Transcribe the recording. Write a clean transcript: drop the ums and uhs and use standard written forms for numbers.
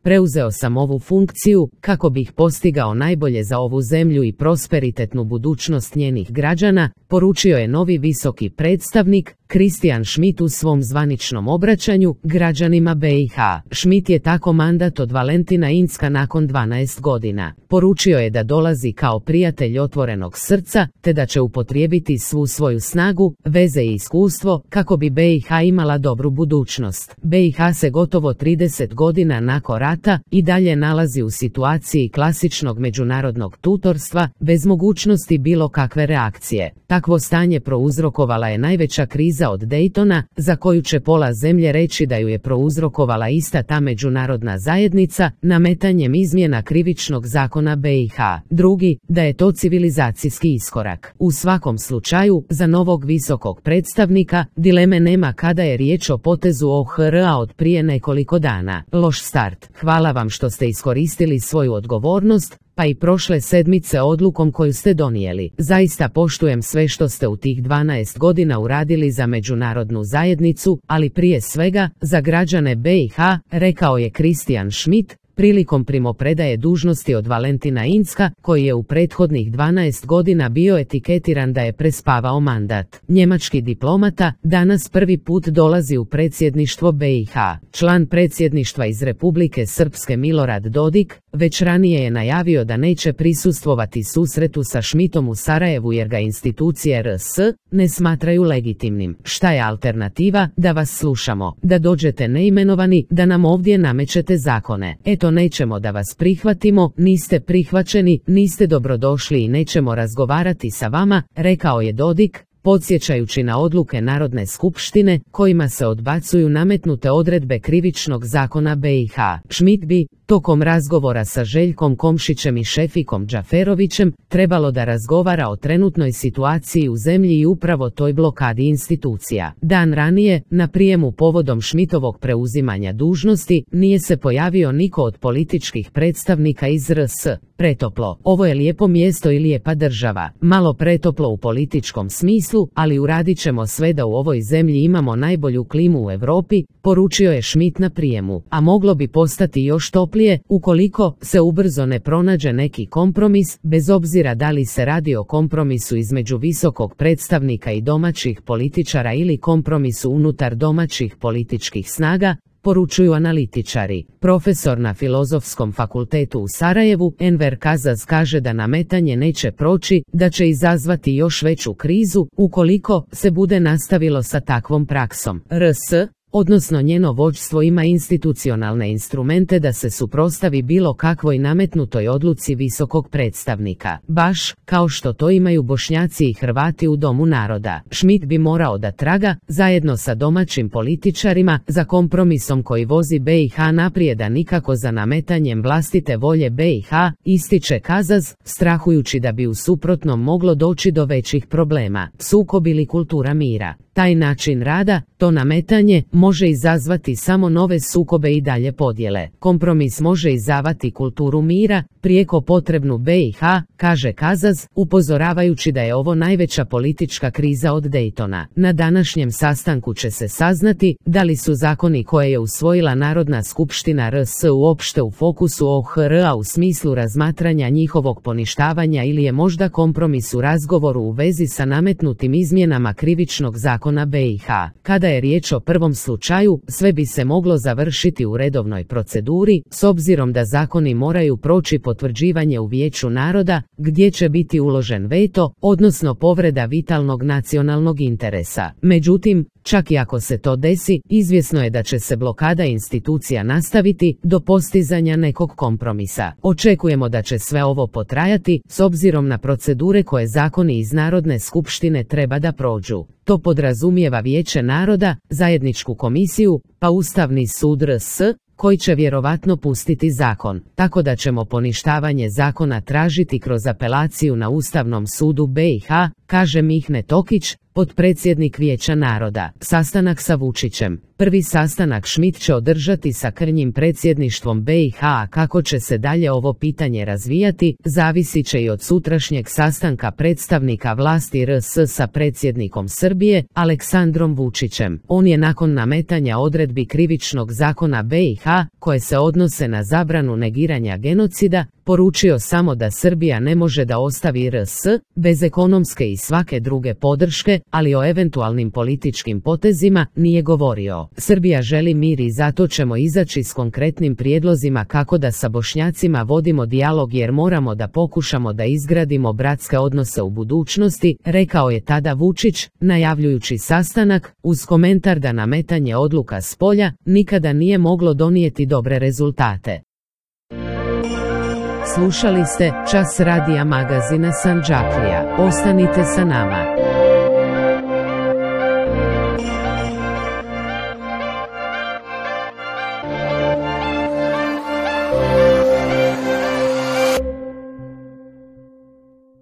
preuzeo sam ovu funkciju kako bih postigao najbolje za ovu zemlju i prosperitetnu budućnost njenih građana, poručio je novi visoki predstavnik Christian Schmidt u svom zvaničnom obraćanju građanima BiH. Schmidt je tako mandat od Valentina Incka nakon 12 godina. Poručio je da dolazi kao prijatelj otvorenog srca, te da će upotrijebiti svu svoju snagu, veze i iskustvo kako bi BiH imala dobru budućnost. BiH se gotovo 30 godina nakon rata i dalje nalazi u situaciji klasičnog međunarodnog tutorstva, bez mogućnosti bilo kakve reakcije. Takvo stanje prouzrokovala je najveća kriza od Daytona, za koju će pola zemlje reći da ju je prouzrokovala ista ta međunarodna zajednica, nametanjem izmjena krivičnog zakona BiH. Drugi, da je to civilizacijski iskorak. U svakom slučaju, za novog visokog predstavnika, dileme nema kada je riječ o potezu OHR-a od prije nekoliko dana. Loš start. Hvala vam što ste iskoristili svoju odgovornost, pa i prošle sedmice odlukom koju ste donijeli. Zaista poštujem sve što ste u tih 12 godina uradili za međunarodnu zajednicu, ali prije svega za građane BiH, rekao je Christian Schmidt prilikom primopredaje dužnosti od Valentina Incka, koji je u prethodnih 12 godina bio etiketiran da je prespavao mandat. Njemački diplomata danas prvi put dolazi u predsjedništvo BiH. Član predsjedništva iz Republike Srpske Milorad Dodik već ranije je najavio da neće prisustvovati susretu sa Schmidtom u Sarajevu jer ga institucije RS ne smatraju legitimnim. Šta je alternativa? Da vas slušamo, da dođete neimenovani, da nam ovdje namećete zakone. Eto, nećemo da vas prihvatimo, niste prihvaćeni, niste dobrodošli i nećemo razgovarati sa vama, rekao je Dodik, podsjećajući na odluke Narodne skupštine kojima se odbacuju nametnute odredbe krivičnog zakona BiH. Schmidt bi, tokom razgovora sa Željkom Komšićem i Šefikom Džaferovićem, trebalo da razgovara o trenutnoj situaciji u zemlji i upravo toj blokadi institucija. Dan ranije, na prijemu povodom Schmidtovog preuzimanja dužnosti, nije se pojavio niko od političkih predstavnika iz RS. Pretoplo. Ovo je lijepo mjesto i lijepa država. Malo pretoplo u političkom smislu, ali uradit ćemo sve da u ovoj zemlji imamo najbolju klimu u Europi, poručio je Schmidt na prijemu. A moglo bi postati još toplije ukoliko se ubrzo ne pronađe neki kompromis, bez obzira da li se radi o kompromisu između visokog predstavnika i domaćih političara ili kompromisu unutar domaćih političkih snaga, poručuju analitičari. Profesor na Filozofskom fakultetu u Sarajevu, Enver Kazaz, kaže da nametanje neće proći, da će izazvati još veću krizu ukoliko se bude nastavilo sa takvom praksom. RS, odnosno njeno vođstvo, ima institucionalne instrumente da se suprotstavi bilo kakvoj nametnutoj odluci visokog predstavnika, baš kao što to imaju Bošnjaci i Hrvati u Domu naroda. Schmidt bi morao da traga, zajedno sa domaćim političarima, za kompromisom koji vozi BiH naprijed, a nikako za nametanjem vlastite volje BiH, ističe Kazaz, strahujući da bi u suprotnom moglo doći do većih problema. Sukob ili kultura mira. Taj način rada, to nametanje, može izazvati samo nove sukobe i dalje podjele. Kompromis može izazvati kulturu mira, prijeko potrebnu BiH, kaže Kazaz, upozoravajući da je ovo najveća politička kriza od Daytona. Na današnjem sastanku će se saznati da li su zakoni koje je usvojila Narodna skupština RS uopšte u fokusu OHR-a u smislu razmatranja njihovog poništavanja ili je možda kompromis u razgovoru u vezi sa nametnutim izmjenama krivičnog zakona BiH. Kada je riječ o prvom slučaju, sve bi se moglo završiti u redovnoj proceduri, s obzirom da zakoni moraju proći potvrđivanje u Vijeću naroda, gdje će biti uložen veto, odnosno povreda vitalnog nacionalnog interesa. Međutim, čak i ako se to desi, izvjesno je da će se blokada institucija nastaviti do postizanja nekog kompromisa. Očekujemo da će sve ovo potrajati, s obzirom na procedure koje zakoni iz Narodne skupštine treba da prođu. To podrazumijeva Vijeće naroda, zajedničku komisiju, pa Ustavni sud RS, koji će vjerovatno pustiti zakon, tako da ćemo poništavanje zakona tražiti kroz apelaciju na Ustavnom sudu BiH, kaže Mihne Tokić, potpredsjednik Vijeća naroda. Sastanak sa Vučićem. Prvi sastanak Schmidt će održati sa krnjim predsjedništvom BiH, a kako će se dalje ovo pitanje razvijati, zavisit će i od sutrašnjeg sastanka predstavnika vlasti RS sa predsjednikom Srbije, Aleksandrom Vučićem. On je nakon nametanja odredbi krivičnog zakona BiH, koje se odnose na zabranu negiranja genocida, poručio samo da Srbija ne može da ostavi RS, bez ekonomske i svake druge podrške, ali o eventualnim političkim potezima nije govorio. Srbija želi mir i zato ćemo izaći s konkretnim prijedlozima kako da sa Bošnjacima vodimo dijalog jer moramo da pokušamo da izgradimo bratske odnose u budućnosti, rekao je tada Vučić, najavljujući sastanak, uz komentar da nametanje odluka s polja nikada nije moglo donijeti dobre rezultate. Slušali ste Čas radija magazina Sandžaklija. Ostanite sa nama.